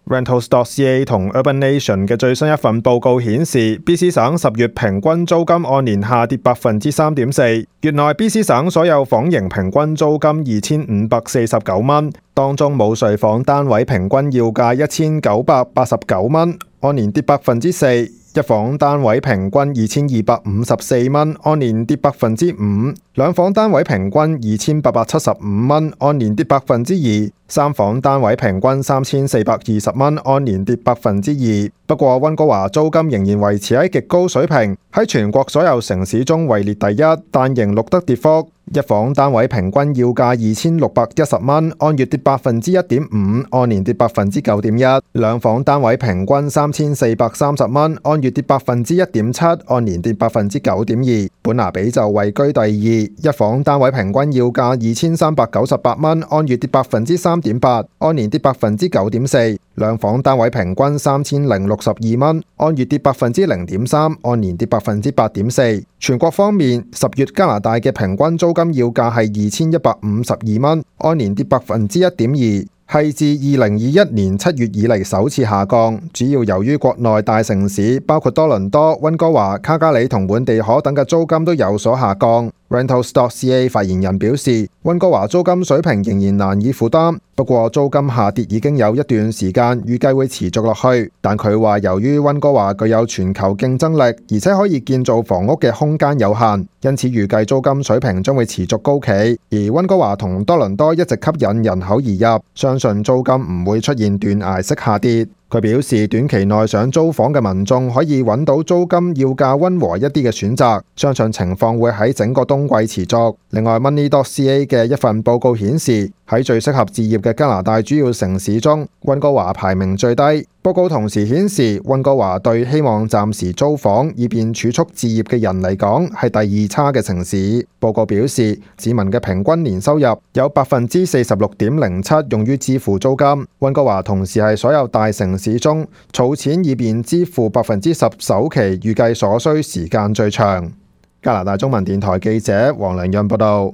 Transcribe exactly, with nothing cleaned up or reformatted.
Rentals.ca 同 Urbanation 嘅最新一份報告顯示 ，B C 省十月平均租金按年下跌百分之三點四。月內 B C 省所有房型平均租金二千五百四十九蚊，當中冇睡房單位平均要價一千九百八十九蚊，按年跌百分之四。一房單位平均二千二百五十四蚊，按年跌百分之五；兩房單位平均二千八百七十五蚊，按年跌百分之二；三房單位平均三千四百二十蚊，按年跌百分之二。不過溫哥華租金仍然維持喺極高水平，喺全國所有城市中位列第一，但仍錄得跌幅。一房單位平均要價二千六百一十蚊，按月跌百分之一點五，按年跌百分之九點一；兩房單位平均三千四百三十蚊，按月跌百分之一點七，按年跌百分之九點二。本拿比就位居第二，一房單位平均要價二千三百九十八蚊，按月跌百分之三點八，按年跌百分之九點四；兩房單位平均三千零六十二蚊，按月跌百分之零點三，按年跌百分之八點四。全國方面，十月加拿大嘅平均租金要價係二千一百五十二蚊，按年跌百分之一點二，係自二零二一年七月以嚟首次下降，主要由於國內大城市包括多倫多、溫哥華、卡加里同滿地可等嘅租金都有所下降。Rentals.ca 發言人表示，溫哥華租金水平仍然難以負擔，不過租金下跌已經有一段時間，預計會持續落去。但佢話由於溫哥華具有全球競爭力，而且可以建造房屋嘅空間有限，因此預計租金水平將會持續高企。而溫哥華同多倫多一直吸引人口移入，相信租金唔會出現斷崖式下跌。佢表示，短期內想租房嘅民眾可以揾到租金要價溫和一啲嘅選擇，相信情況會喺整個冬季持續。另外 Money.ca 嘅一份報告顯示，喺最適合置業嘅加拿大主要城市中，溫哥華排名最低。報告同時顯示，溫哥華對希望暫時租房以便儲蓄置業嘅人嚟講係第二差嘅城市。報告表示，市民嘅平均年收入有百分之四十六點零七用於支付租金。溫哥華同時係所有大城市中儲錢以便支付百分之十首期預計所需時間最長。加拿大中文電台記者黃良潤報道。